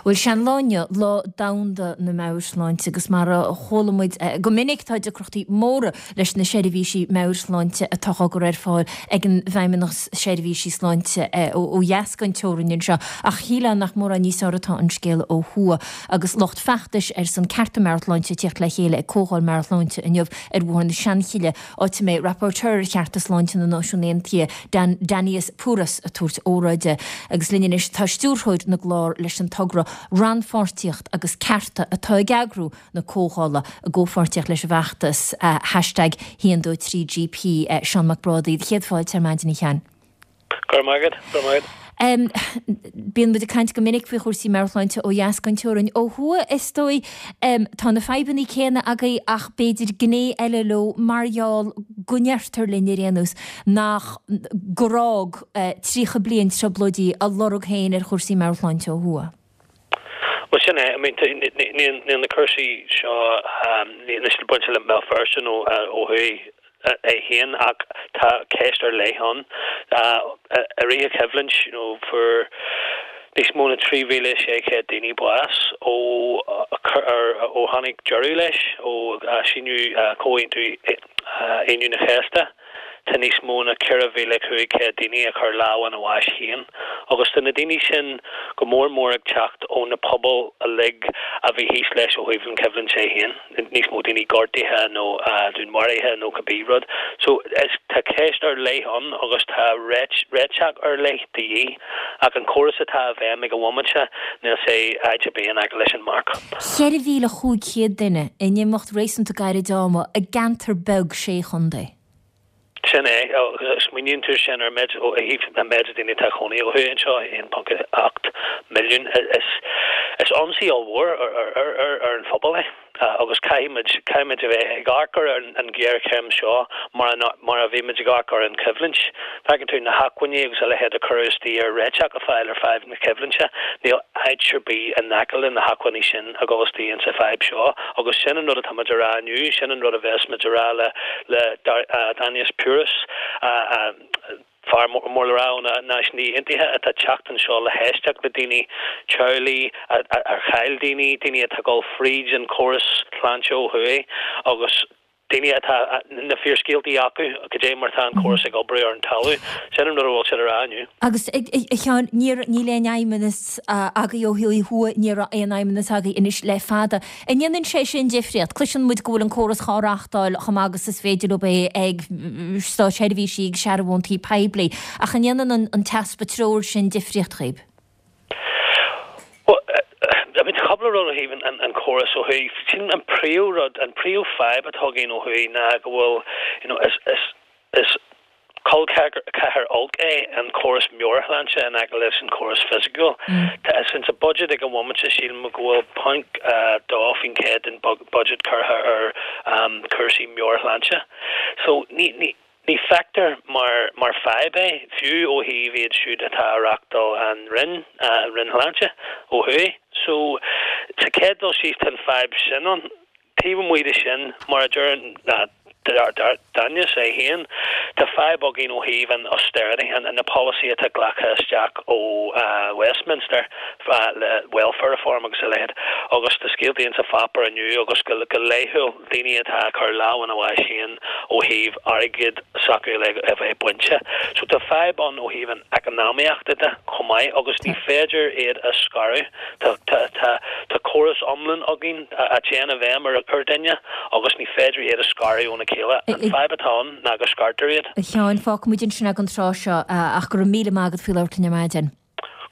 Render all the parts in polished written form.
Bhuel, sé an lá inniu Lá Domhanda na Meabhairshláinte agus mar a chuala muid go minic tá deacrachtaí móra leis na seirbhísí meabhairshláinte atá á gcur ar fáil ag an bhFeidhmeannas Seirbhísí Sláinte ó dheas den teorainn anseo ach shílfeá nach mórán níos fearr atá an scéal ó thuaidh agus lucht feachtais ar son cearta meabhairshláinte ag tíocht le chéile ag Comhdháil Meabhairshláinte inniu ar Bhóthar na Seanchille. áit a mbeidh Rapporteur ar Chearta Sláinte na Náisiún Aontaithe, Dan Danius Pūras, ag tabhairt óráide. Agus linn anois tá stiúrthóir na gclár leis an togra Rannpháirtíocht agus Cearta atá ag eagrú na comhdhála i gcomhpháirtíocht leis an bhfeachtas hashtag 123GP, Seán Mac Brádaigh. Céad fáilte ar maidin, a Sheáin. Go raibh maith agat, go raibh maith agat. Bíonn muid ag caint go minic faoi chúrsaí meabhairshláinte ó dheas den teorainn. Ó thuaidh, is dóigh, tá na fadhbanna céanna agaibh ach b'fhéidir gné eile leo mar gheall go ndeirtear linn ar aon nós nach, gur fhág 30 bliain trioblóidí a lorg féin ar chúrsaí meabhairshláinte ó thuaidh. Bhuel, sin é. I mean, níl na cúrsaí seo, níl siad bainte le Béal Feirste nó ó thuaidh. é féin ach tá ceist ar leith ann. I rith an choimhlint, you know, fuair níos mó na 3,600 daoine bás ó ó tháinig deireadh leis, ó síniú Comhaontú Aoine na Cásca. Tá níos mó na 4,500 daoine a chuir lámh ina bháis féin agus tá na daoine sin go mór mór ag teacht ó na pobail uilig a bhí thíos leis ó thaobh an choimhlint é féin. níos mó daoine gortaithe nó dúnmharaithe nó cibé rud. So is tá ceist ar leith ann agus tá réiteach ar leith de dhíth ach an córas atá i bhfeidhm ag an bhomaite níl sé áit ar bith in aice leis an marc. 4,500 duine in imeacht réasúnta gairid ama i gceantar beag sé chontae. Sin é, agus smaoiníonn tú sin ar méid, ó thaobh an méid daoine atá ag cónaí ó thuaidh anseo, 1.8 milliún, is ionsaí ollmhór ar an phobal é agus caithfimid, caithfimid a bheith ag amharc ar an ghéarchéim seo mar mar a bhí muid ag amharc ar an choimhlint. Feiceann tú na hacmhainní agus a leithéid a cuireadh istigh ar réiteach a fháil ar fadhb na coimhlinte, níl áit ar bith in aice le na hacmhainní sin a dhul istigh insa fadhb seo agus sin an rud atá muid a rá inniu, sin an rud a bheas muid a rá le le Dainius Pūras, fear mór le rá ó na Náisiúin Aontaithe atá ag teacht anseo le héisteacht le daoine, teaghlaigh ar chaill daoine, daoine atá ag dul fríd an córas sláinte ó thuaidh agus daoine atá na fíorscéaltaí acu cad é mar atá an córas ag oibriú ar an talamh. Sin an rud a bhfuil siad a rá inniu. Agus, a Sheáin, níl aon fheidhmeannas agaibh ó thuaidh, ní raibh aon fheidhmeannas agaibh anois le fada. An ndéanann sé sin difríocht? Cloiseann muid go bhfuil an córas dhá reáchtáil chomh maith agus is féidir leo é ag státseirbhísí agus searbhóntaí poiblí, ach an ndéanann an t-easpa treoir sin difríocht dhaoib? Bhuel, I mean, tá cúpla rud ó thaobh an córas ó thuaidh. Sin an príomh rud, an príomh fadhb atá againn ó thuaidh ná go bhfuil, you know, is, is, is col ceathar olc é an córas meabhairshláinte in aice leis an córas fisiciúil. Tá sa budget ag an bhomaite sílim go bhfuil 0.2% den budget curtha ar cúrsaí meabhairshláinte. So ní ní ní feictear mar mar fadhb é, fiú ó thaobh iad siúd atá ag reáchtáil an Roinn, an Roinn Shláinte ó thuaidh. So sa chéad dul síos tá an fadhb sin ann. Taobh amuigh de sin, mar a deir Danius é féin, tá fadhb againn ó thaobh an austerity, na polasaí atá glactha isteach ó Westminster le welfare reform agus a leithéid. Agus tá scéaltaí insa pháipéar inniu agus go laethúil daoine atá ag cur lámh ina bháis féin ó thaobh airgead s'acu a bheith bainte. So tá fadhb ann ó thaobh an eacnamaíochta de chomh maith agus ní féidir iad a scaradh. Tá tá tá córas iomlán againn a théann i bhfeidhm ar ar duine agus ní féidir iad a scaradh óna chéile. An fadhb atá ann ná go scartar iad. A Sheáin, fágfaimid ansin é don tráth seo ach go raibh míle maith agat faoi labhairt linn ar maidin.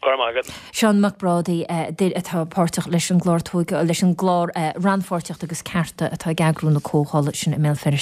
Go raibh maith agat. Seán Mac Brádaigh, duine atá páirteach leis an gclár leis an gclár Rannpháirtíocht agus Cearta atá ag eagrú na comhdhála sin i mBéal Feirste.